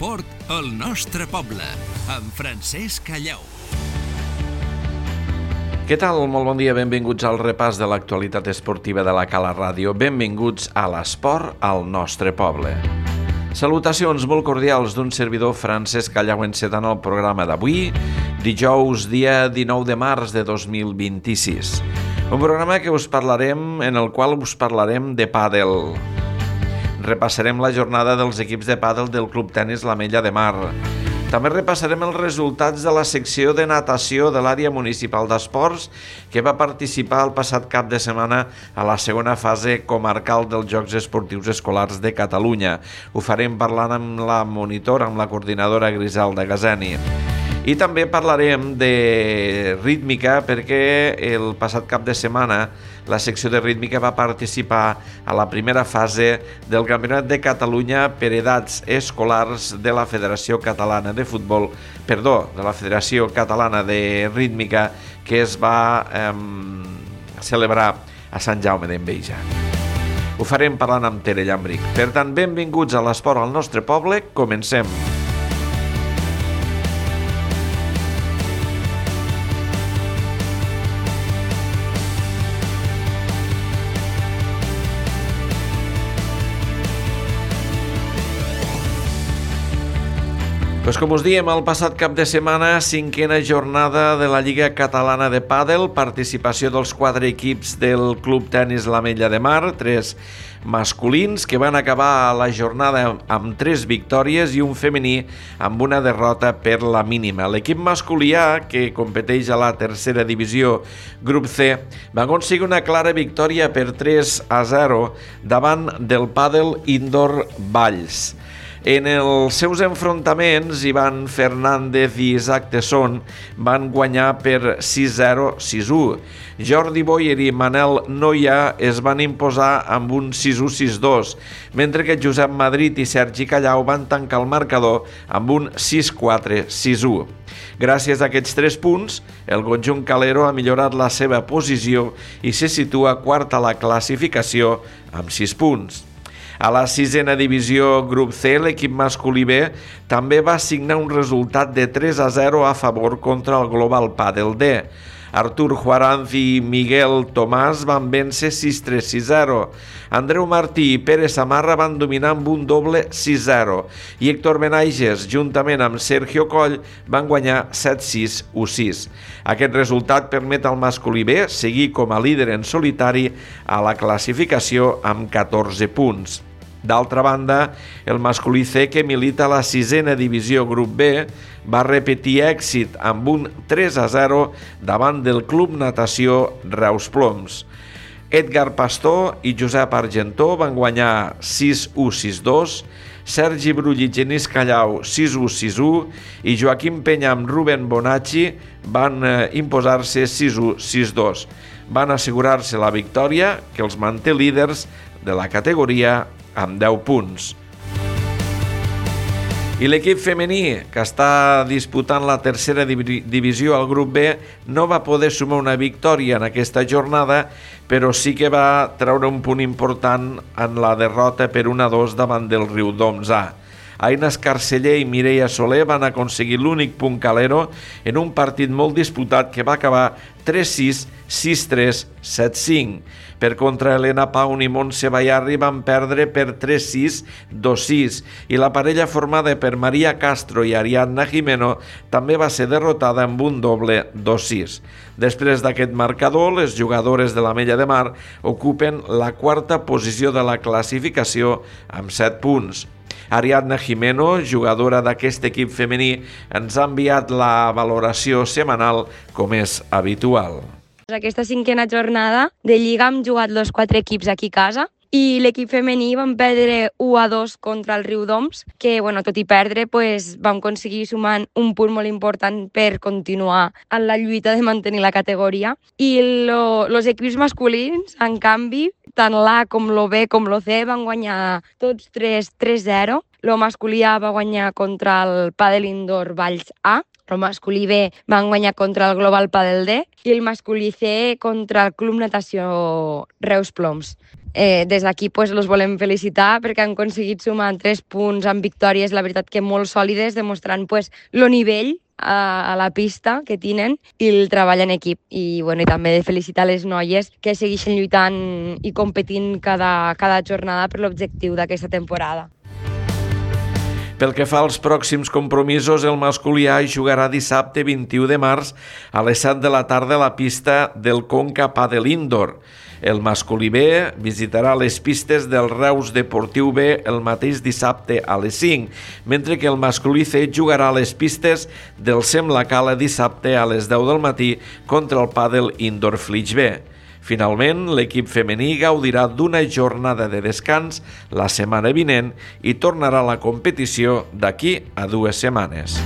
L'esport al nostre poble, amb Francesc Callau. Què tal? Molt bon dia, benvinguts al repàs de l'actualitat esportiva de la Cala Ràdio. Benvinguts a l'esport al nostre poble. Salutacions molt cordials d'un servidor Francesc Callau encetant el programa d'avui, dijous, dia 19 de març de 2026. Un programa en el qual us parlarem de pàdel. Repassarem la jornada dels equips de pàdel del Club Tenis l'Ametlla de Mar. També repassarem els resultats de la secció de natació de l'àrea municipal d'esports que va participar el passat cap de setmana a la segona fase comarcal dels Jocs Esportius Escolars de Catalunya. Ho farem parlant amb la monitora, amb la coordinadora Griselda Gazeni. I també parlarem de rítmica perquè el passat cap de setmana la secció de rítmica va participar a la primera fase del Campionat de Catalunya per edats escolars de la Federació Catalana de Futbol, de la Federació Catalana de Rítmica, que es va celebrar a Sant Jaume d'Enveja. Ho farem parlant amb Tere Llambric. Per tant, benvinguts a l'esport al nostre poble. Comencem. Com us diem, el passat cap de setmana, cinquena jornada de la Lliga Catalana de Pàdel, participació dels 4 equips del Club Tenis l'Ametlla de Mar, 3 masculins que van acabar la jornada amb 3 victòries i un femení amb una derrota per la mínima. L'equip masculí A, que competeix a la tercera divisió grup C, va aconseguir una clara victòria per 3-0 davant del Pàdel Indoor Valls. En els seus enfrontaments, Ivan Fernández i Isaac Tesson van guanyar per 6-0, 6-1. Jordi Boyer i Manel Noia es van imposar amb un 6-1, 6-2, mentre que Josep Madrid i Sergi Callau van tancar el marcador amb un 6-4, 6-1. Gràcies a aquests 3 punts, el conjunt calero ha millorat la seva posició i se situa quart a la classificació amb 6 punts. A la 6a divisió grup C, l'equip masculí B també va signar un resultat de 3-0 a favor contra el Global Pàdel D. Artur Juaranz i Miguel Tomàs van vèncer 6-3, 6-0. Andreu Martí i Pere Samarra van dominar amb un doble 6-0. I Héctor Benaiges, juntament amb Sergio Coll, van guanyar 7-6, 1-6. Aquest resultat permet al masculí B seguir com a líder en solitari a la classificació amb 14 punts. D'altra banda, el masculí C, que milita a la 6a divisió grup B, va repetir èxit amb un 3-0 davant del Club Natació Reus Ploms. Edgar Pastor i Josep Argentó van guanyar 6-1, 6-2, Sergi Brull i Genís Callau 6-1, 6-1 i Joaquim Penya amb Rubén Bonacci van imposar-se 6-1, 6-2. Van assegurar-se la victòria, que els manté líders de la categoria amb 10 punts. I l'equip femení, que està disputant la tercera divisió al grup B, no va poder sumar una victòria en aquesta jornada, però sí que va treure un punt important en la derrota per 1-2 davant del Riudoms A. Aina Escarceller i Mireia Soler van aconseguir l'únic punt calero en un partit molt disputat que va acabar 3-6, 6-3, 7-5. Per contra, Helena Paun i Montse Bayarri van perdre per 3-6, 2-6 i la parella formada per Maria Castro i Ariadna Jimeno també va ser derrotada amb un doble 2-6. Després d'aquest marcador, les jugadores de l'Ametlla de Mar ocupen la 4a posició de la classificació amb 7 punts. Ariadna Jimeno, jugadora d'aquest equip femení, ens ha enviat la valoració setmanal com és habitual. Aquesta 5a jornada de Lliga hem jugat els 4 equips aquí a casa i l'equip femení vam perdre 1-2 contra el Riudoms, que tot i perdre vam aconseguir sumant un punt molt important per continuar en la lluita de mantenir la categoria. I els equips masculins, en canvi, tant l'A com l'B com l'C van guanyar tots 3-0. El masculí A va guanyar contra el Pàdel Indoor Valls A, el masculí B van guanyar contra el Global Pàdel D i el masculí C contra el Club Natació Reus Ploms. Des d'aquí pues, els volem felicitar perquè han aconseguit sumar 3 punts amb victòries, la veritat que molt sòlides, demostrant pues, el nivell a la pista que tenen i el treball en equip. I també de felicitar les noies que segueixen lluitant i competint cada jornada per l'objectiu d'aquesta temporada. Pel que fa als pròxims compromisos, el masculí A jugarà dissabte 21 de març a les 7 de la tarda a la pista del Conca Padel Indoor. El masculí B visitarà les pistes del Reus Deportiu B el mateix dissabte a les 5, mentre que el masculí C jugarà a les pistes del Sem La Cala dissabte a les 10 del matí contra el Padel Indoor Flix B. Finalment, l'equip femení gaudirà d'una jornada de descans la setmana vinent i tornarà a la competició d'aquí a 2 setmanes.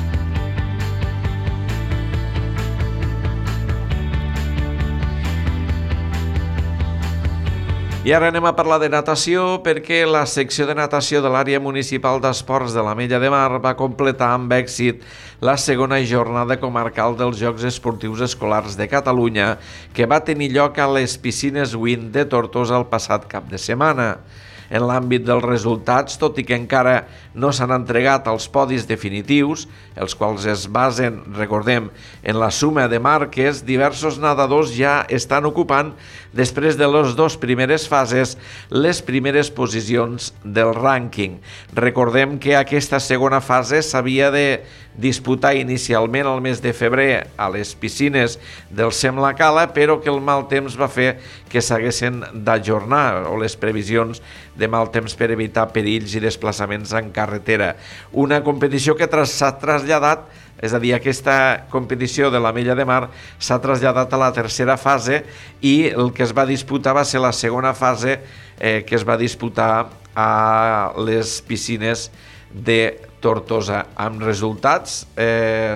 I ara anem a parlar de natació perquè la secció de natació de l'àrea municipal d'esports de l'Ametlla de Mar va completar amb èxit la segona jornada comarcal dels Jocs Esportius Escolars de Catalunya que va tenir lloc a les piscines Wind de Tortosa el passat cap de setmana. En l'àmbit dels resultats, tot i que encara no s'han entregat els podis definitius, els quals es basen, recordem, en la suma de marques, diversos nedadors ja estan ocupant, després de les 2 primeres fases, les primeres posicions del rànquing. Recordem que aquesta segona fase s'havia de disputar inicialment al mes de febrer a les piscines del Sem La Cala, però que el mal temps va fer que s'haguessin d'ajornar, o les previsions de mal temps per evitar perills i desplaçaments en carretera. Una competició que s'ha traslladat, és a dir, aquesta competició de l'Ametlla de Mar s'ha traslladat a la tercera fase i el que es va disputar va ser la segona fase que es va disputar a les piscines de Tortosa, amb resultats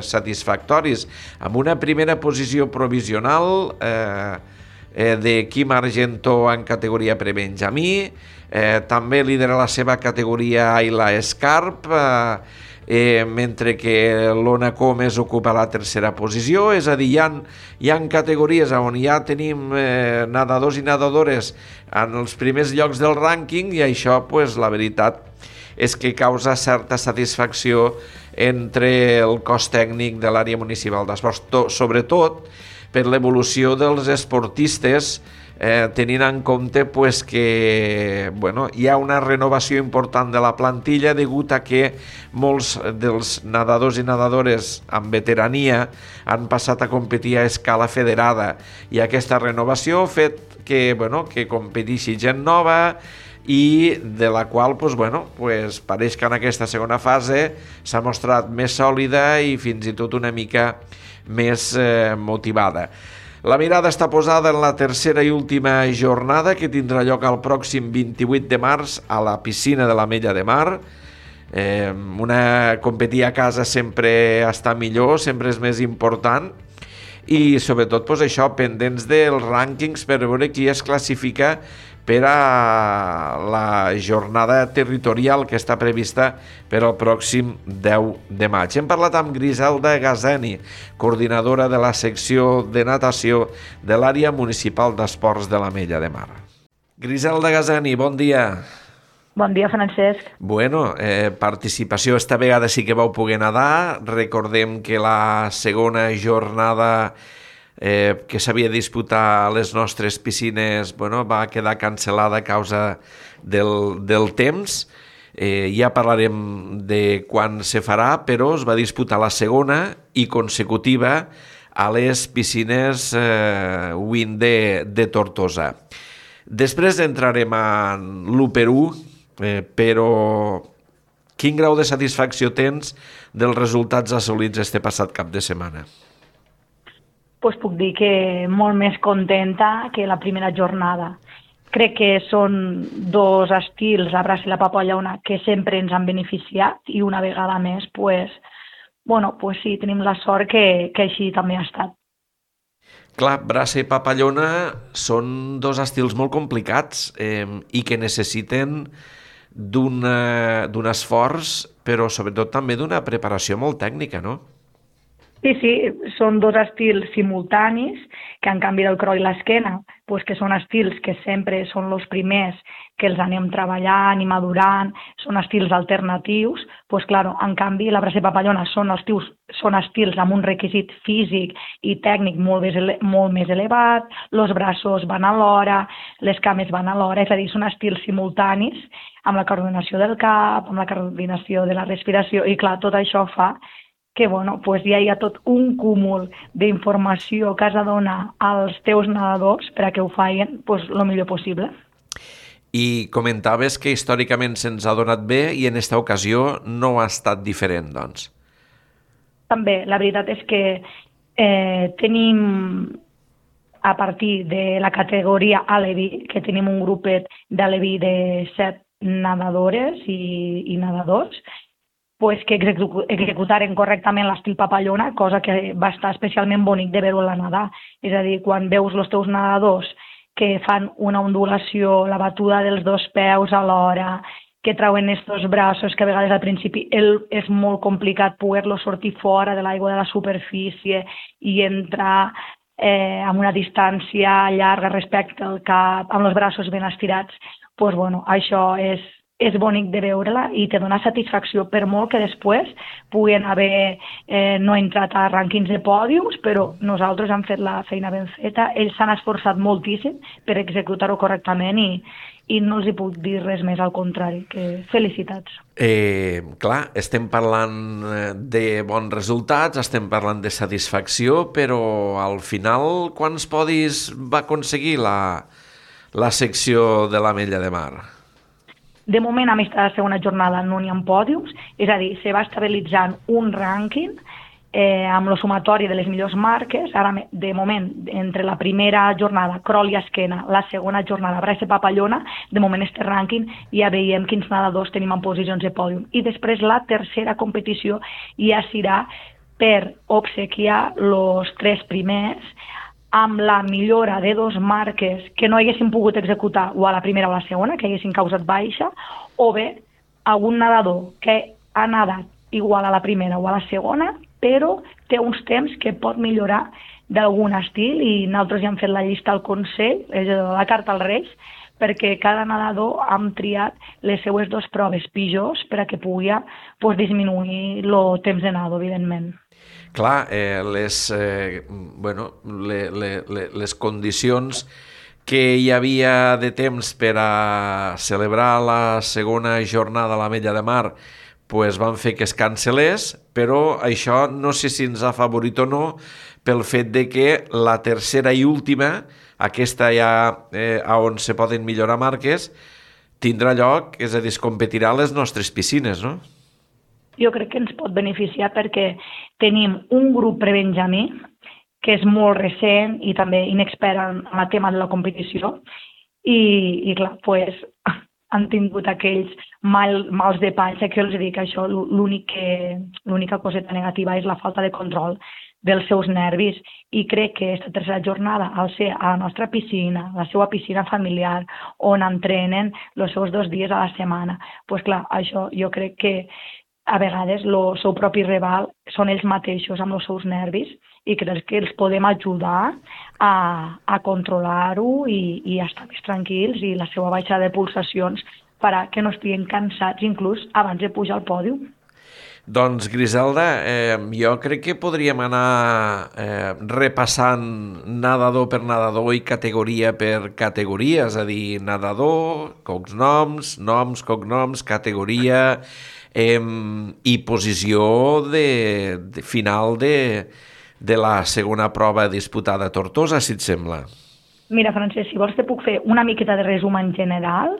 satisfactoris, amb una primera posició provisional de Quim Argentó en categoria prebenjamí, també lidera la seva categoria Ayla Escarp, mentre que l'Ona Comes ocupa la tercera posició, és a dir, hi ha categories on ja tenim nedadors i nedadores en els primers llocs del rànquing i això, la veritat, és que causa certa satisfacció entre el cos tècnic de l'àrea municipal d'esports, sobretot per l'evolució dels esportistes, tenint en compte que hi ha una renovació important de la plantilla degut a que molts dels nedadors i nedadores amb veterania han passat a competir a escala federada i aquesta renovació ha fet que competeixi gent nova i de la qual pareix que en aquesta segona fase s'ha mostrat més sòlida i fins i tot una mica més motivada. La mirada està posada en la tercera i última jornada que tindrà lloc el pròxim 28 de març a la piscina de l'Ametlla de Mar. Competir a casa sempre està millor, sempre és més important i sobretot això, pendents dels rànquings per veure qui es classifica per a la jornada territorial que està prevista per al pròxim 10 de maig. Hem parlat amb Griselda Gazeni, coordinadora de la secció de natació de l'àrea municipal d'esports de l'Ametlla de Mar. Griselda Gazeni, bon dia. Bon dia, Francesc. Participació, esta vegada sí que vau poder nedar. Recordem que la segona jornada que s'havia de disputar a les nostres piscines va quedar cancel·lada a causa del temps. Ja parlarem de quan se farà, però es va disputar la segona i consecutiva a les piscines Wind de Tortosa. Després entrarem en l'1x1, però quin grau de satisfacció tens dels resultats assolits este passat cap de setmana? Puc dir que molt més contenta que la primera jornada. Crec que són 2 estils, la braça i la papallona, que sempre ens han beneficiat i una vegada més, sí, tenim la sort que així també ha estat. Clar, braça i papallona són 2 estils molt complicats i que necessiten d'un esforç, però sobretot també d'una preparació molt tècnica, no? Sí, són 2 estils simultanis que en canvi del crawl i l'esquena, pues que són estils que sempre són els primers que els anem treballant i madurant, són estils alternatius, pues claro, en canvi la braça i papallona són estils amb un requisit físic i tècnic molt més elevat, els braços van alhora, les cames van alhora, és a dir, són estils simultanis amb la coordinació del cap, amb la coordinació de la respiració, i clar, tot això fa que pues ja hi ha tot un cúmul d'informació que has de donar als teus nedadors perquè ho facin el millor possible. I comentaves que històricament se'ns ha donat bé i en aquesta ocasió no ha estat diferent, doncs. També, la veritat és que tenim, a partir de la categoria Alevi, que tenim un grupet d'Alevi de 7 nedadores i nedadors, pues que executaren correctament l'estil papallona, cosa que va estar especialment bonic de veure-la nedar. És a dir, quan veus els teus nedadors que fan una ondulació, la batuda dels 2 peus alhora, que trauen estos braços que a vegades al principi és molt complicat poder-los sortir fora de l'aigua de la superfície i entrar amb una distància llarga respecte al cap, amb els braços ben estirats, pues això és bonic de veure-la i te dona satisfacció, per molt que després puguen haver no entrat a rànquings de pòdiums, però nosaltres hem fet la feina ben feta, ells s'han esforçat moltíssim per executar-ho correctament i no els hi puc dir res més, al contrari, que felicitats. Clar, estem parlant de bons resultats, estem parlant de satisfacció, però al final quants podis va aconseguir la secció de l'Ametlla de Mar? De moment, a aquesta segona jornada no n'hi ha pòdiums, és a dir, se va estabilitzant un rànquing amb el sumatori de les millors marques. Ara, de moment, entre la primera jornada, crawl i esquena, la segona jornada, braça i papallona, de moment este rànquing ja veiem quins nedadors tenim en posicions de pòdium. I després la tercera competició ja serà per obsequiar els 3 primers amb la millora de 2 marques que no haguessin pogut executar o a la primera o a la segona, que haguessin causat baixa, o bé algun nedador que ha nedat igual a la primera o a la segona, però té uns temps que pot millorar d'algun estil, i nosaltres ja hem fet la llista al Consell, és la carta als Reis, perquè cada nedador hem triat les seues 2 proves pitjors per a que pugui disminuir el temps de nedador, evidentment. Clar, les condicions que hi havia de temps per a celebrar la segona jornada a l'Ametlla de Mar van fer que es cancel·lés, però això no sé si ens ha favorit o no pel fet de que la tercera i última, aquesta ja on se poden millorar marques, tindrà lloc, és a dir, es competirà a les nostres piscines, no? Jo crec que ens pot beneficiar perquè tenim un grup prebenjamí que és molt recent i també inexpert en el tema de la competició i clar, han tingut aquells mals de panxa, que jo els dic això, l'única coseta negativa és la falta de control dels seus nervis, i crec que aquesta tercera jornada, al ser a la nostra piscina, la seva piscina familiar, on entrenen els seus 2 dies a la setmana, doncs clar, això jo crec que a vegades el seu propi rival són ells mateixos amb els seus nervis, i crec que els podem ajudar a controlar-ho i a estar més tranquils, i la seva baixada de pulsacions farà que no estiguin cansats inclús abans de pujar al pòdium. Doncs, Griselda, jo crec que podríem anar repassant nedador per nedador i categoria per categoria, és a dir, nedador, cognoms, cognoms, categoria i posició final de la segona prova disputada a Tortosa, si et sembla. Mira, Francesc, si vols te puc fer una miqueta de resum en general,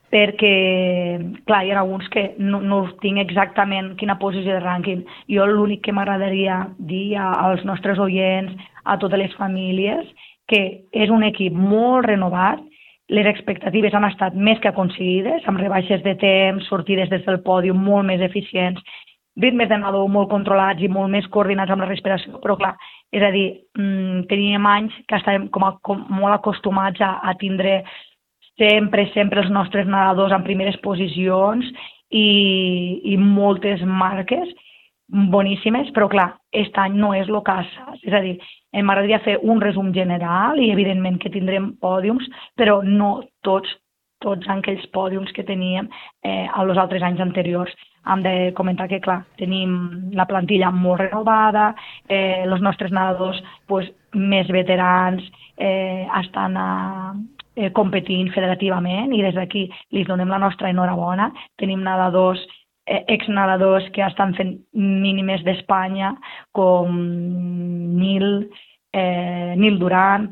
perquè, clar, hi ha alguns que no tinc exactament quina posició de rànquing. Jo l'únic que m'agradaria dir als nostres oients, a totes les famílies, que és un equip molt renovat, les expectatives han estat més que aconseguides, amb rebaixes de temps, sortides des del pòdium molt més eficients, ritmes de nedador molt controlats i molt més coordinats amb la respiració, però clar, és a dir, teníem anys que estàvem com molt acostumats a tindre sempre els nostres nedadors en primeres posicions i moltes marques boníssimes, però clar, aquest any no és el cas. És a dir, M'agradaria fer un resum general i evidentment que tindrem pòdiums, però no tots aquells pòdiums que teníem els altres anys anteriors. Hem de comentar que, clar, tenim la plantilla molt renovada, els nostres nedadors més veterans estan competint federativament i des d'aquí li donem la nostra enhorabona. Tenim nedadors, exnedadors que estan fent mínimes d'Espanya, com Nil Duran,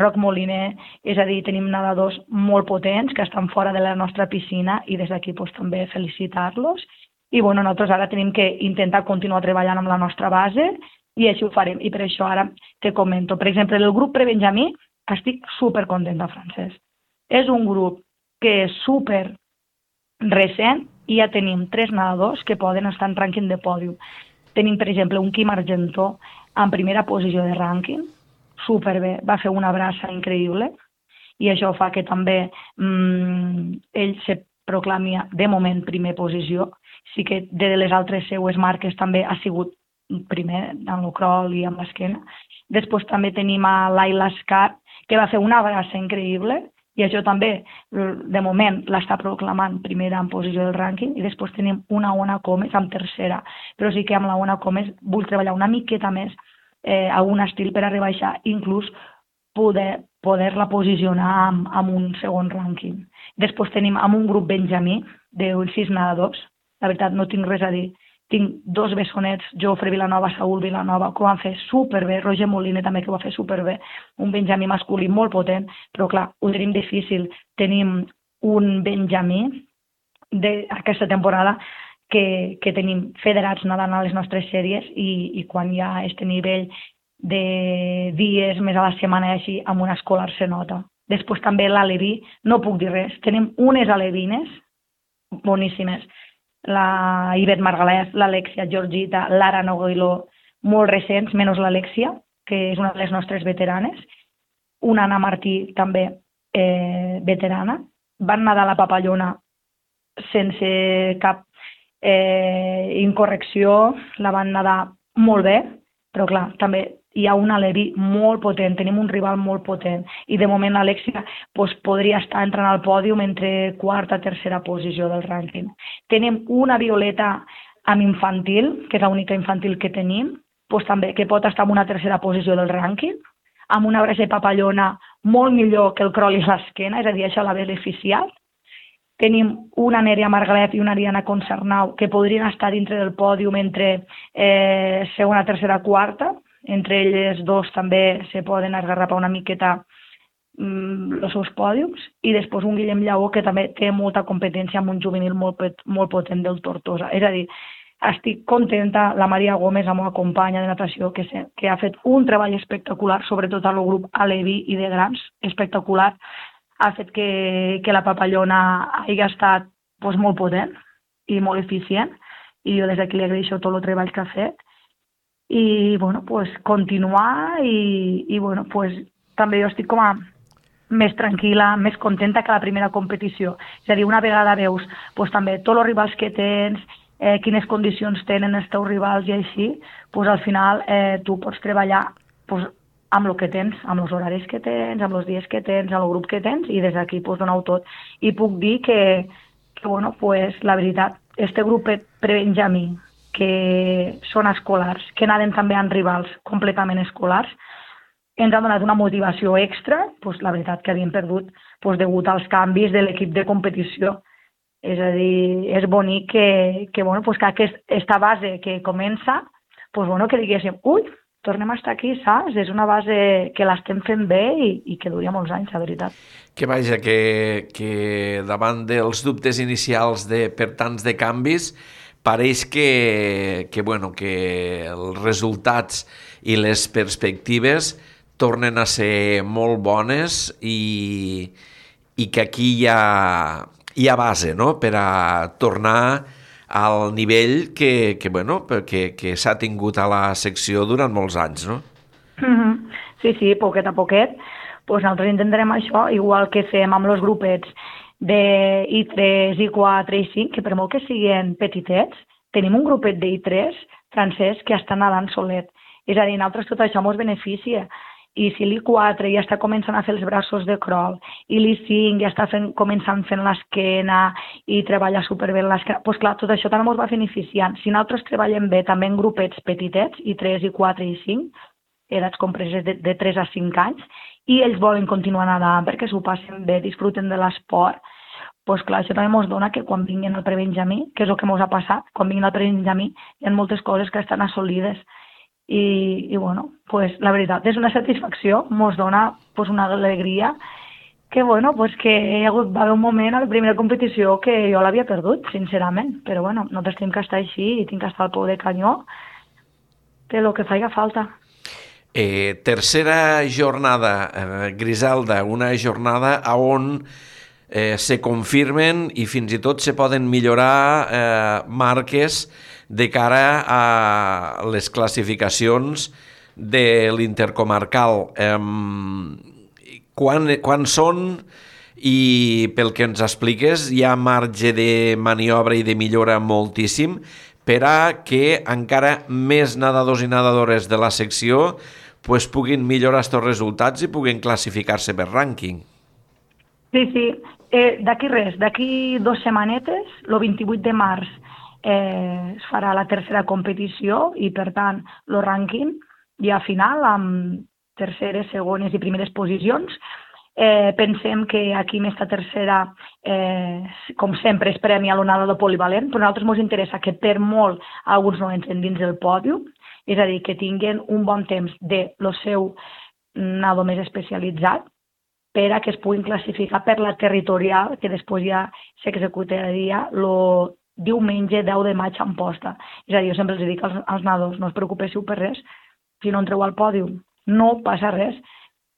Roc Moliner, és a dir, tenim nedadors molt potents que estan fora de la nostra piscina i des d'aquí també felicitar-los. I nosaltres ara tenim que intentar continuar treballant amb la nostra base i així ho farem. I per això ara te comento. Per exemple, el grup prebenjamí estic supercontenta, Francesc. És un grup que és super recent i ja tenim 3 nedadors que poden estar en rànquing de pòdium. Tenim, per exemple, un Quim Argentó en primera posició de rànquing, superbé, va fer una braça increïble i això fa que també ell se proclami de moment primer posició. Sí que de les altres seues marques també ha sigut primer en el crawl i amb l'esquena. Després també tenim a l'Aila Escar, que va fer una braça increïble i això també, de moment, l'està proclamant primera en posició del rànquing i després tenim una Ona Comes en tercera. Però sí que amb la Ona Comes vull treballar una miqueta més a un estil per arribar a això, inclús poder-la posicionar amb un segon rànquing. Després tenim amb un grup benjamí de 6 nedadors. La veritat, no tinc res a dir. Tinc 2 bessonets, Jofre Vilanova, Saúl Vilanova, que ho van fer superbé, Roger Moliner també, que ho va fer superbé, un benjamí masculí molt potent, però clar, ho tenim difícil. Tenim un benjamí d'aquesta temporada que tenim federats nedant a les nostres sèries i quan hi ha aquest nivell de dies més a la setmana i així, amb un escolar se nota. Després també l'aleví, no puc dir res, tenim unes alevines boníssimes, la Ivet Margalès, l'Alexia Georgita, l'Ara Noguiló, molt recents, menys l'Alexia, que és una de les nostres veteranes, una Anna Martí també veterana, van nedar la papallona sense cap incorrecció, la van nedar molt bé, però clar, també hi ha un aleví molt potent, tenim un rival molt potent i de moment l'Alexia podria estar entrant al pòdium entre quarta i tercera posició del rànquing. Tenim una Violeta amb infantil, que és l'única infantil que tenim, també que pot estar en una tercera posició del rànquing, amb una braça de papallona molt millor que el crawl i l'esquena, és a dir, això l'ha beneficiat. Tenim una Nerea Margalef i una Ariana Concernau que podrien estar dintre del pòdium entre segona, tercera, quarta. Entre elles dos també se poden esgarrapar una miqueta els seus pòdiums. I després un Guillem Lleó que també té molta competència amb un juvenil molt potent del Tortosa. És a dir, estic contenta, la Maria Gómez, la meva companya de natació, que ha fet un treball espectacular, sobretot al grup aleví i de grans, espectacular. Ha fet que la papallona hagi estat molt potent i molt eficient i jo des d'aquí li agraeixo tot el treball que ha fet i continuar i també jo estic com a més tranquil·la, més contenta que la primera competició. És a dir, una vegada veus també tots els rivals que tens, quines condicions tenen els teus rivals i així, al final tu pots treballar amb el que tens, amb els horaris que tens, amb els dies que tens, amb el grup que tens, i des d'aquí donar-ho tot. I puc dir que la veritat, este grup prebenjamí, que són escolars, que naden també amb rivals completament escolars, ens ha donat una motivació extra, la veritat que havíem perdut degut als canvis de l'equip de competició. És a dir, és bonic que aquesta base que comença, que diguéssim, tornem a estar aquí, saps? És una base que l'estem fent bé i que duria molts anys, la veritat. Que vaja, que davant dels dubtes inicials per tants de canvis, pareix que els resultats i les perspectives tornen a ser molt bones i que aquí hi ha base, no?, per a tornar al nivell que s'ha tingut a la secció durant molts anys, no? Sí, poquet a poquet. Nosaltres intentarem això, igual que fem amb els grupets de I3, I4, I5, que per molt que siguin petitets, tenim un grupet de I3 francès que està nedant solet. És a dir, nosaltres tot això ens beneficia. I si l'I4 ja està començant a fer els braços de crawl i l'I5 ja està començant fent l'esquena i treballa superbé l'esquena, doncs clar, tot això també ens va beneficiant. Si nosaltres treballem bé també en grupets petitets, I3, I4 i I5, edats compreses de 3 a 5 anys, i ells volen continuar nedant perquè s'ho passen bé, disfruten de l'esport, doncs clar, això també ens dona que quan vinguin al prebenjamí, que és el que ens ha passat, quan vinguin al prebenjamí hi ha moltes coses que estan assolides. I bueno, pues, la veritat és una satisfacció, ens dona pues, una alegria que, bueno, pues, que va haver un moment a la primera competició que jo l'havia perdut, sincerament, però bueno, nosaltres tenim que estar així i tinc que estar al peu de canyó de lo que faci falta. Tercera jornada, Griselda, una jornada on se confirmen i fins i tot se poden millorar marques de cara a les classificacions de l'intercomarcal. Quan són i pel que ens expliques hi ha marge de maniobra i de millora moltíssim per a que encara més nedadors i nedadores de la secció pues, puguin millorar aquests resultats i puguin classificar-se per rànquing. Sí. D'aquí 2 setmanetes, el 28 de març, es farà la tercera competició i, per tant, el rànquing ja final amb terceres, segones i primeres posicions. Pensem que aquí aquesta tercera, com sempre, es premia a l'onada de polivalent, però a nosaltres ens interessa que per molt alguns no entren dins del pòdium, és a dir, que tinguin un bon temps de lo seu nado més especialitzat per a que es puguin classificar per la territorial, que després ja s'executaria el diumenge 10 de maig a Amposta. És a dir, jo sempre els dic als nadadors, no us preocupéssiu per res, si no entreu al pòdium no passa res.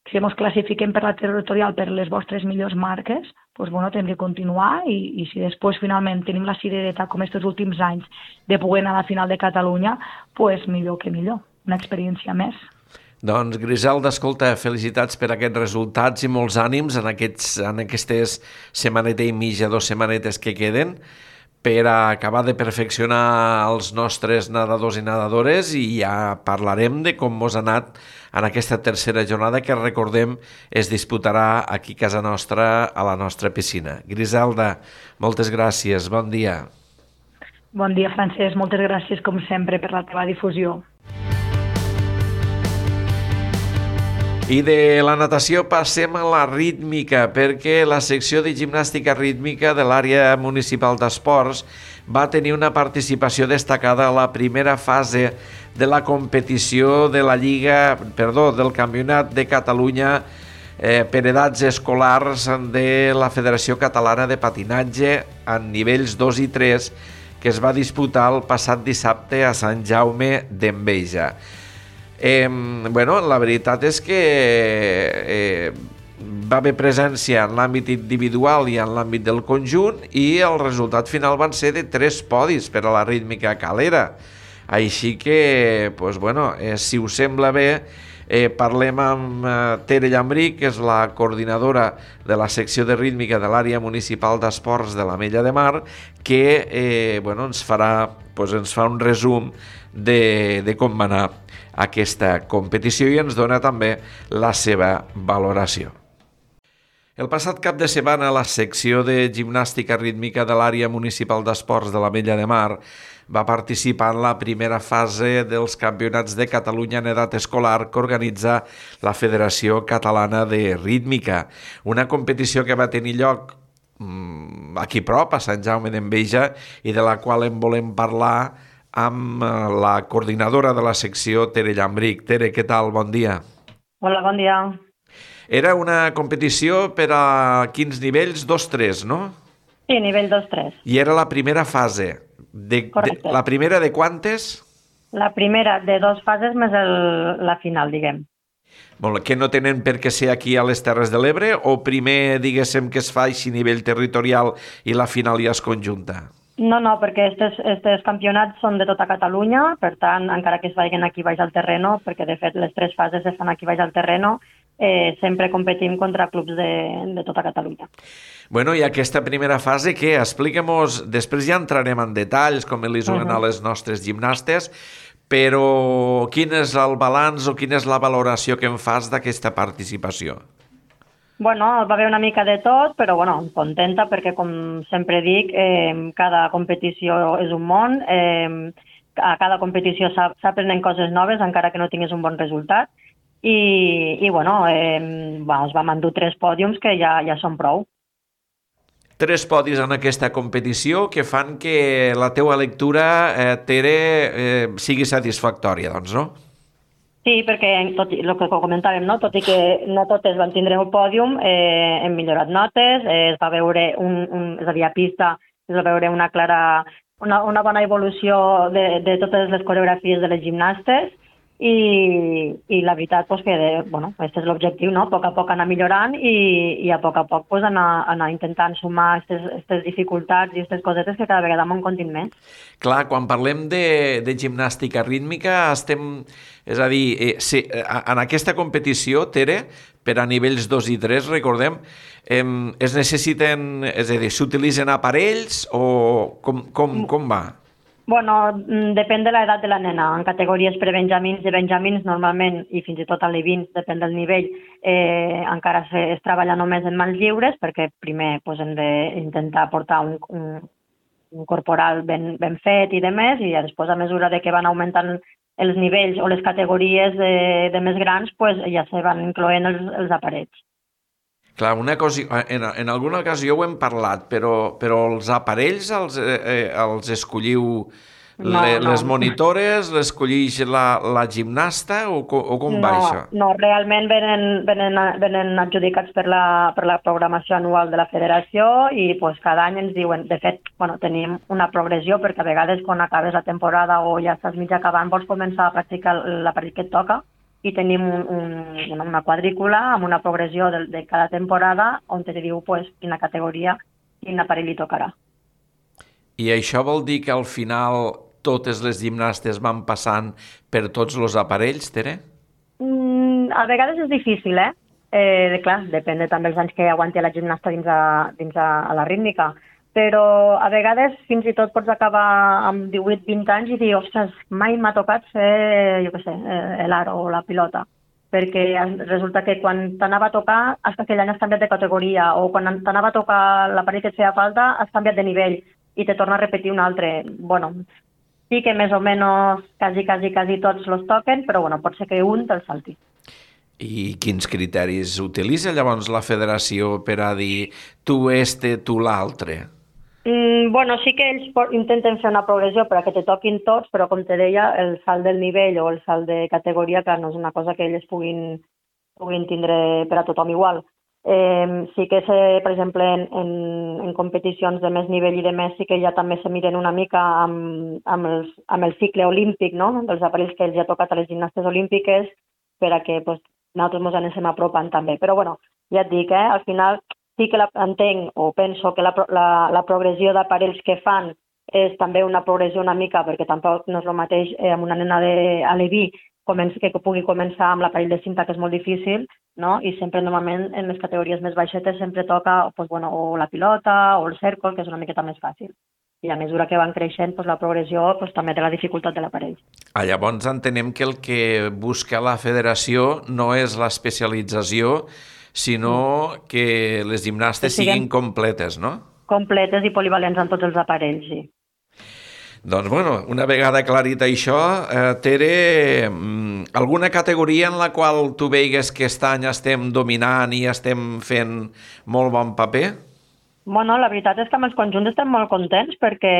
Si ens classifiquem per la territorial per les vostres millors marques, doncs bueno, hem de continuar i si després finalment tenim la cirereta com aquests últims anys de poder anar a la final de Catalunya, doncs millor que millor, una experiència més. Doncs Griselda, escolta, felicitats per aquests resultats i molts ànims en aquestes setmaneta i mitja, 2 setmanetes que queden per a acabar de perfeccionar els nostres nedadors i nedadores i ja parlarem de com mos ha anat en aquesta tercera jornada que, recordem, es disputarà aquí a casa nostra, a la nostra piscina. Griselda, moltes gràcies, bon dia. Bon dia, Francesc, moltes gràcies com sempre per la teva difusió. I de la natació passem a la rítmica, perquè la secció de gimnàstica rítmica de l'àrea municipal d'esports va tenir una participació destacada a la primera fase de la competició de la del Campionat de Catalunya per edats escolars de la Federació Catalana de Patinatge en nivells 2 i 3 que es va disputar el passat dissabte a Sant Jaume d'Enveja. La veritat és que va haver presència en l'àmbit individual i en l'àmbit del conjunt i el resultat final van ser de 3 podis per a la rítmica calera. Així que, si us sembla bé, parlem amb Tere Llambric, que és la coordinadora de la secció de rítmica de l'àrea municipal d'esports de l'Ametlla de Mar, que ens fa un resum de com va anar aquesta competició i ens dona també la seva valoració. El passat cap de setmana, la secció de gimnàstica rítmica de l'àrea municipal d'esports de l'Ametlla de Mar va participar en la primera fase dels Campionats de Catalunya en edat escolar que organitza la Federació Catalana de Rítmica, una competició que va tenir lloc aquí prop, a Sant Jaume d'Enveja, i de la qual en volem parlar amb la coordinadora de la secció, Tere Llambric. Tere, què tal? Bon dia. Hola, bon dia. Era una competició per a quins nivells? 2-3, no? Sí, nivell 2-3. I era la primera fase. Correcte. La primera de quantes? La primera de 2 fases més la final, diguem. Molt, que no tenen per què ser aquí a les Terres de l'Ebre o primer, diguéssim, que es fa així a nivell territorial i la final ja es conjunta? No, perquè aquests campionats són de tota Catalunya, per tant, encara que es vagin aquí baix al terreno, perquè de fet les 3 fases es fan aquí baix al terreno, sempre competim contra clubs de tota Catalunya. Bueno, i aquesta primera fase, què? Expliquem-nos, després ja entrarem en detalls com li juguen a les nostres gimnastes, però quin és el balanç o quina és la valoració que en fas d'aquesta participació? Bueno, va haver una mica de tot, però bueno, contenta perquè, com sempre dic, cada competició és un món, a cada competició s'aprenen coses noves, encara que no tingués un bon resultat, i bueno, es vam endur 3 pòdiums que ja són prou. 3 podis en aquesta competició que fan que la teua lectura, Tere, sigui satisfactòria, doncs, no? Sí, perquè tot el que comentàvem, no? Tot i que no totes van tindre un pòdium, hem millorat notes, es va veure, és a dir, a pista, es va veure una bona evolució de totes les coreografies de les gimnastes i la veritat que, bueno, aquest és l'objectiu, no? A poc anar millorant i a poc anar intentant sumar aquestes dificultats i aquestes cosetes que cada vegada m'en contin més. Clar, quan parlem de gimnàstica rítmica és a dir, en aquesta competició, Tere, per a nivells 2 i 3, recordem, es necessiten, és a dir, s'utilitzen aparells o com va? Bueno, depèn de l'edat de la nena. En categories prebenjamins i benjamins, normalment, i fins i tot a l'E20, depèn del nivell, encara es treballa només en mans lliures, perquè primer hem d'intentar portar un corporal ben fet i de més, i després, a mesura que van augmentant els nivells o les categories de més grans, ja se van incloent els aparells. Clar, una cosa, en alguna ocasió ho hem parlat, però els aparells els escolliu les monitores, l'escollix la gimnasta o com va això? No, realment venen adjudicats per la programació anual de la federació i cada any ens diuen, de fet, tenim una progressió perquè a vegades quan acabes la temporada o ja estàs mig acabant vols començar a practicar l'aparell que et toca i tenim una quadrícula amb una progressió de cada temporada on te diu quina categoria, quin aparell li tocarà. I això vol dir que al final totes les gimnastes van passant per tots els aparells, Tere? A vegades és difícil, clar, depèn també dels anys que aguanti la gimnasta dins a la rítmica. Però a vegades fins i tot pots acabar amb 18-20 anys i dir, ostres, mai m'ha tocat fer, jo què sé, l'aro o la pilota, perquè resulta que quan t'anava a tocar hasta aquell any has canviat de categoria o quan t'anava a tocar l'aparell que et feia falta has canviat de nivell i te torna a repetir un altre. Bueno, sí que més o menys quasi tots los toquen, però pot ser que un te'l salti. I quins criteris utilitza llavors la federació per a dir tu tu l'altre? Sí que ells intenten fer una progressió per a que te toquin tots, però com te deia, el salt del nivell o el salt de categoria, clar, no és una cosa que ells puguin tindre per a tothom igual. Sí que, per exemple, en competicions de més nivell i de més, sí que ja també se miren una mica amb el cicle olímpic, no? Dels aparells que ells ja ha tocat a les gimnastes olímpiques per a que nosaltres ens anem apropant també. Però ja et dic, al final sí que entenc o penso que la progressió d'aparells que fan és també una progressió una mica, perquè tampoc no és el mateix amb una nena a l'E20 que pugui començar amb l'aparell de cinta, que és molt difícil, no? I sempre normalment en les categories més baixetes sempre toca o la pilota o el cèrcol, que és una miqueta més fàcil. I a mesura que van creixent, la progressió també té la dificultat de l'aparell. Llavors entenem que el que busca la federació no és l'especialització, sinó que les gimnastes siguin completes, no? Completes i polivalents en tots els aparells, sí. Doncs, una vegada aclarit això, Tere, alguna categoria en la qual tu veigues que aquest any estem dominant i estem fent molt bon paper? La veritat és que amb els conjunts estem molt contents perquè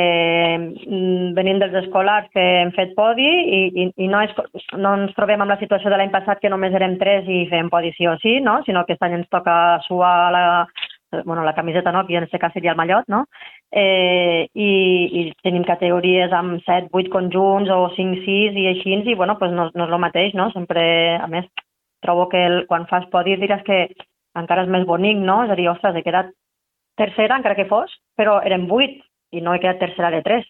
venim dels escolars que hem fet podi i no ens trobem amb la situació de l'any passat que només érem 3 i fèiem podi sí o sí, no? Sinó que aquest any ens toca suar la camiseta, no? Que en aquest cas seria el mallot, no? I tenim categories amb 7-8 conjunts o 5-6 i així, i no és el mateix, no? Sempre, a més, trobo que quan fas podi diràs que encara és més bonic, no? És a dir, ostres, he quedat tercera, encara que fos, però érem 8 i no he quedat tercera de 3.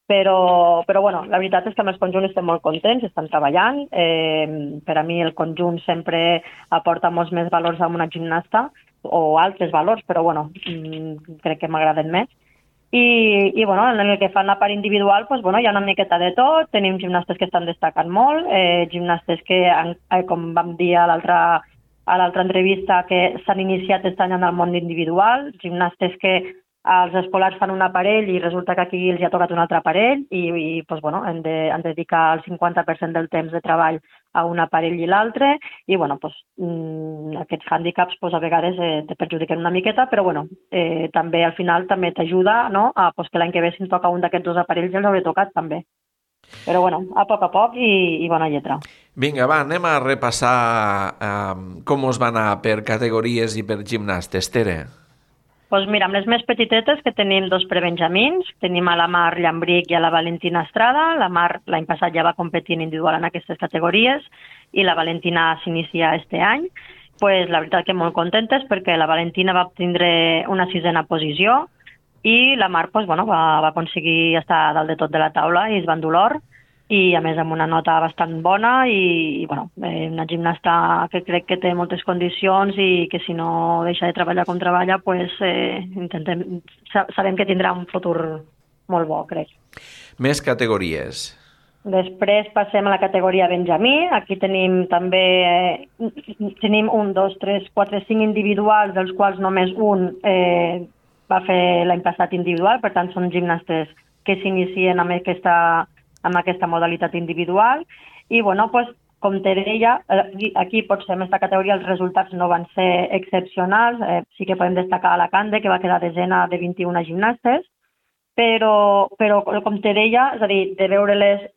Però la veritat és que amb els conjunts estem molt contents, estan treballant. Per a mi el conjunt sempre aporta molts més valors a una gimnasta, o altres valors, però crec que m'agraden més. bueno, en el que fan la part individual, doncs, bueno, hi ha una miqueta de tot. Tenim gimnastes que estan destacant molt, gimnastes que, com vam dir a l'altra entrevista, que s'han iniciat aquest any en el món individual, gimnastes que els escolars fan un aparell i resulta que aquí els ha tocat un altre aparell i doncs, bueno, han de dedicar el 50% del temps de treball a un aparell i l'altre i bueno, doncs, aquests hàndicaps doncs, a vegades te perjudiquen una miqueta, però bueno, també al final també t'ajuda, no? Doncs que l'any que ve si em toca un d'aquests dos aparells ja els hauré tocat també. Però bueno, a poc i bona lletra. Vinga, va, anem a repassar com us va anar per categories i per gimnastes, Tere. Doncs mira, amb les més petitetes, que tenim dos prebenjamins, tenim a la Mar Llambric i a la Valentina Estrada. La Mar l'any passat ja va competir individual en aquestes categories i la Valentina s'inicia este any. Pues, la veritat que molt contentes perquè la Valentina va obtindre una 6a posició i la Mar pues, bueno, va aconseguir estar dalt de tot de la taula i es va endur l'or i a més amb una nota bastant bona i bueno, una gimnasta que crec que té moltes condicions i que si no deixa de treballar com treballa pues, sabem que tindrà un futur molt bo, crec. Més categories. Després passem a la categoria Benjamí. Aquí tenim també 1, 2, 3, 4, 5 individuals, dels quals només un va fer l'any passat individual, per tant són gimnastes que s'inicien amb aquesta modalitat individual i bueno, pues, com te deia, aquí potser en aquesta categoria els resultats no van ser excepcionals, sí que podem destacar a la Cande, que va quedar desena de 21 gimnastes, però com te deia, és a dir, de veure-les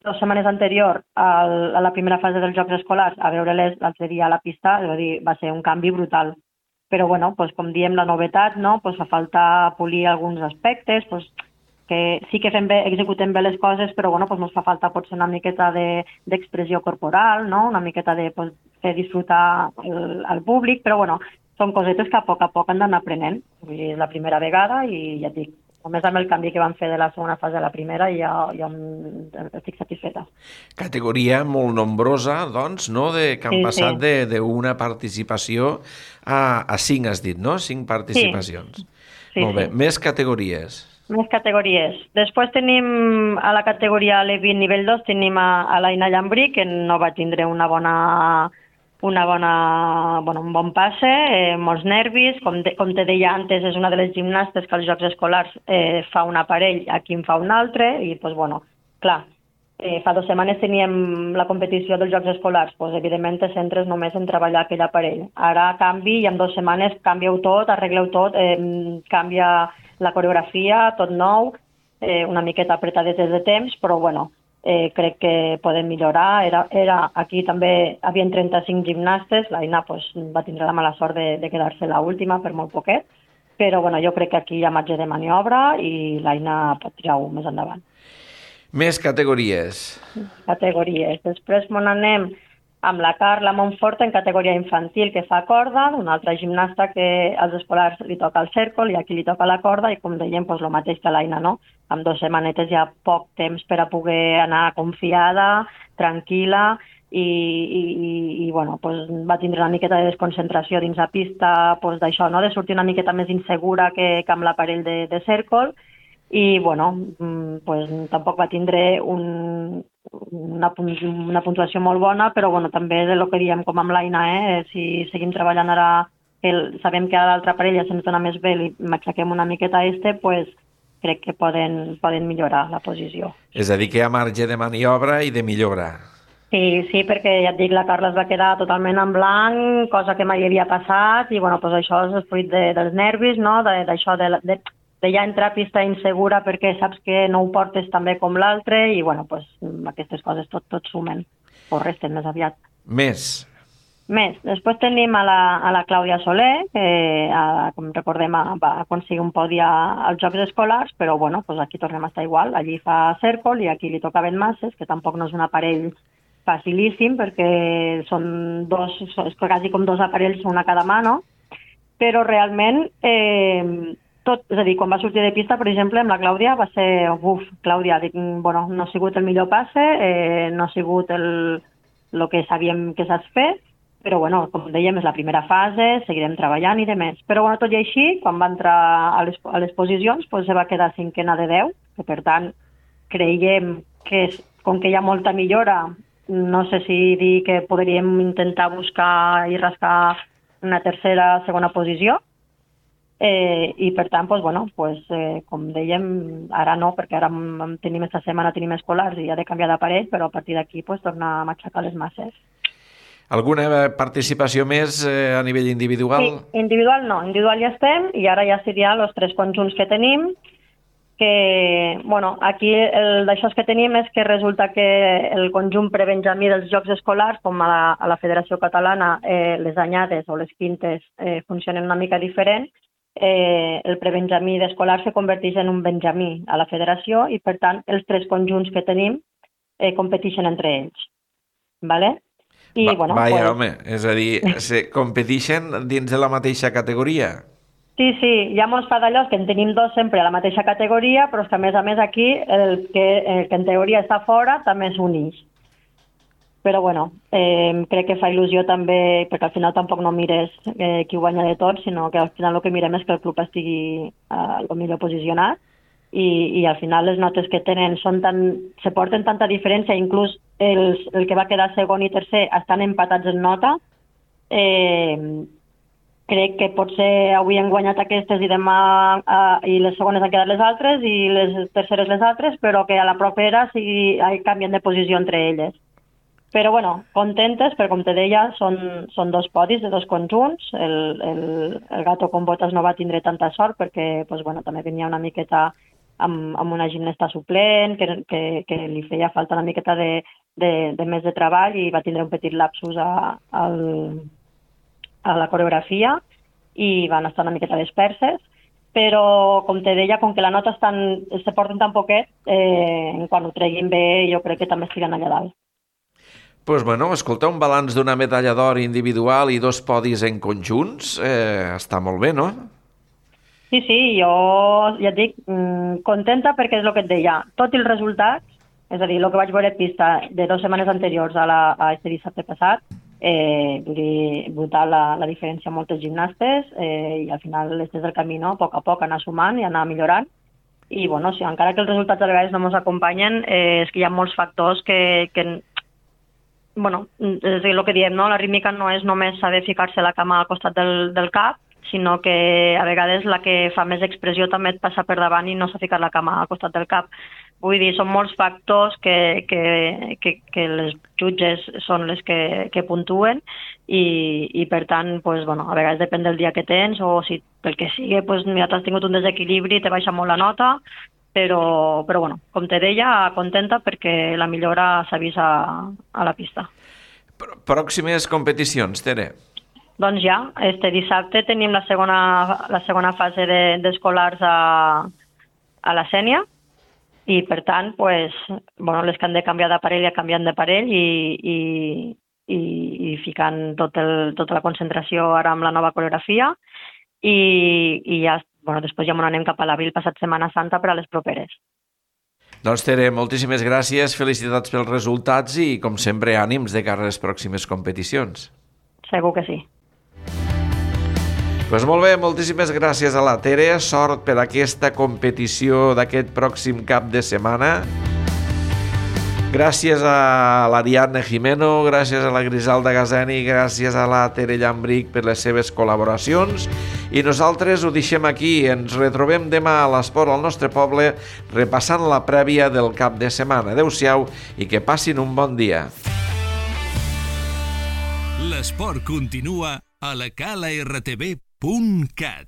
2 setmanes anterior a la primera fase dels Jocs Escolars a veure-les l'altre dia a la pista, és a dir, va ser un canvi brutal. Però bueno, pues, com diem, la novetat, no? Pues, fa falta polir alguns aspectes, pues, que sí que executem bé les coses, però bueno, pues ens fa falta potser una miqueta d'expressió corporal, no? Una miqueta de pues, fer disfrutar al públic, però bueno, són cosetes que a poc han d'anar aprenent. És la primera vegada i ja et dic, només amb el canvi que van fer de la segona fase a la primera ja estic satisfeta. Categoria molt nombrosa, doncs, no? Que han passat d'una participació a 5, has dit, no? 5 participacions. Sí. Molt bé. Més categories. Més categories. Després tenim a la categoria Levin nivell 2, tenim a l'Aina Llambric, que no va tindre un bon passe, molts nervis. Com te deia antes, és una de les gimnastes que als Jocs Escolars fa un aparell, aquí en fa un altre, i doncs, bueno, clar, fa 2 setmanes teníem la competició dels Jocs Escolars, doncs, evidentment te centres només en treballar aquell aparell. Ara canvi i en 2 setmanes canvieu tot, arregleu tot, canvia la coreografia, tot nou, una miqueta apretadetes de temps, però bueno, crec que podem millorar. Aquí també havien 35 gimnastes, l'Aina pues, va tindre la mala sort de quedar-se l'última per molt poquet, però bueno, jo crec que aquí hi ha marge de maniobra i l'Aina pot tirar-ho més endavant. Més categories. Després anem amb la Carla Montfort en categoria infantil, que fa corda, una altra gimnasta que als escolars li toca el cèrcol i aquí li toca la corda, i com dèiem, doncs, el mateix que l'Aina, no? Amb 2 setmanetes hi ha poc temps per a poder anar confiada, tranquil·la, i bueno, doncs, va tindre una miqueta de desconcentració dins la pista, doncs, d'això, no? De sortir una miqueta més insegura que amb l'aparell de cèrcol, i bueno, pues, tampoc va tindre una puntuació molt bona, però bueno, també és el que diem com amb l'Aina, si seguim treballant ara, sabem que a l'altra parella se'ns dona més bé i m'aixequem una miqueta pues, crec que poden millorar la posició. És a dir, que hi ha marge de maniobra i de millora. Sí, perquè ja et dic, la Carla es va quedar totalment en blanc, cosa que mai havia passat, i bueno, pues això és el fruit dels nervis, no? D'això de ja entrar a pista insegura perquè saps que no ho portes tan bé com l'altre i bueno, pues, aquestes coses tot sumen o resten més aviat. Més. Després tenim a la Clàudia Soler, que com recordem va aconseguir un podi als Jocs Escolars, però bueno, pues aquí tornem a estar igual, allí fa cèrcol i aquí li tocaven masses, que tampoc no és un aparell facilíssim perquè són quasi com 2 aparells, una a cada mà, no? Però realment és a dir, quan va sortir de pista, per exemple, amb la Clàudia va ser, Clàudia, bueno, no ha sigut el millor passe, no ha sigut el que sabíem que saps fer, però bueno, com dèiem, és la primera fase, seguirem treballant i demés. Però bueno, tot i així, quan va entrar a les posicions, doncs se va quedar 5a de 10, que per tant creiem que com que hi ha molta millora, no sé si dir que podríem intentar buscar i rascar una tercera, segona posició, i per tant, com dèiem, ara no, perquè ara tenim esta setmana tenim escolars i ha de canviar d'aparell, però a partir d'aquí tornar a matxacar les masses. Alguna participació més a nivell individual? Sí, individual no, individual ja estem i ara ja seria els 3 conjunts que tenim, que, aquí d'això que tenim és que resulta que el conjunt prebenjamí dels Jocs Escolars, com a la Federació Catalana, les anyades o les quintes funcionen una mica diferent, el prebenjamí d'escolars se converteix en un benjamí a la federació i, per tant, els 3 conjunts que tenim competeixen entre ells. Vale? Home, és a dir, competeixen dins de la mateixa categoria? Sí, hi ha molts fa d'allò que en tenim 2 sempre a la mateixa categoria, però és que a més aquí el que en teoria està fora també s'uneix. Però crec que fa il·lusió també, perquè al final tampoc no mires qui guanya de tot, sinó que al final el que mirem és que el club estigui el millor posicionat i al final les notes que tenen se porten tanta diferència, inclús el que va quedar segon i tercer estan empatats en nota. Crec que potser avui han guanyat aquestes i demà i les segones han quedat les altres i les terceres les altres, però que a la propera canvien de posició entre elles. Però contentes, perquè com te deia, són 2 podis de 2 conjunts. El Gato con Botas no va tindre tanta sort perquè també venia una miqueta amb una gimnasta suplent, que li feia falta una miqueta de més de treball i va tindre un petit lapsus a la coreografia i van estar una miqueta disperses, però com te deia, com que la nota se porten tan poquet, quan ho treguin bé jo crec que també estiguen allà dalt. Escolta, un balanç d'una medalla d'or individual i 2 podis en conjunts, està molt bé, no? Sí, jo ja et dic, contenta perquè és el que et deia, tot i els resultats, és a dir, el que vaig veure pista de 2 setmanes anteriors a este dissabte passat, brutal la diferència amb moltes gimnastes i al final des del camí, a poc a poc anar sumant i anar millorant i encara que els resultats a vegades no ens acompanyen, és que hi ha molts factors que és el que diem, la rítmica no és només saber ficar-se la cama al costat del cap, sinó que a vegades la que fa més expressió també et passa per davant i no s'ha ficat la cama al costat del cap. Vull dir, són molts factors que les jutges són les que puntuen i per tant, a vegades depèn del dia que tens o si pel que sigui, mira, t'has tingut un desequilibri i te baixa molt la nota, però com te deia, contenta perquè la millora s'ha vist a la pista. Pròximes competicions, Tere? Doncs ja, este dissabte tenim la segona fase d'escolars a la Sénia i per tant, les que han de canviar d'aparell ja canviant d'aparell i ficant tota la concentració ara amb la nova coreografia i ja, després ja anem cap a l'abril passat Setmana Santa per a les properes. Doncs Tere, moltíssimes gràcies, felicitats pels resultats i com sempre ànims de cara a les pròximes competicions. Segur que sí. Doncs molt bé, moltíssimes gràcies a la Tere, sort per aquesta competició d'aquest pròxim cap de setmana. Gràcies a l'Ariadna Jimeno, gràcies a la Griselda Gazeni, gràcies a la Tere Llambric per les seves col·laboracions i nosaltres ho deixem aquí, ens retrobem demà a l'Esport al nostre poble repassant la prèvia del cap de setmana. Adéu-siau i que passin un bon dia. L'esport continua a la calartv.cat.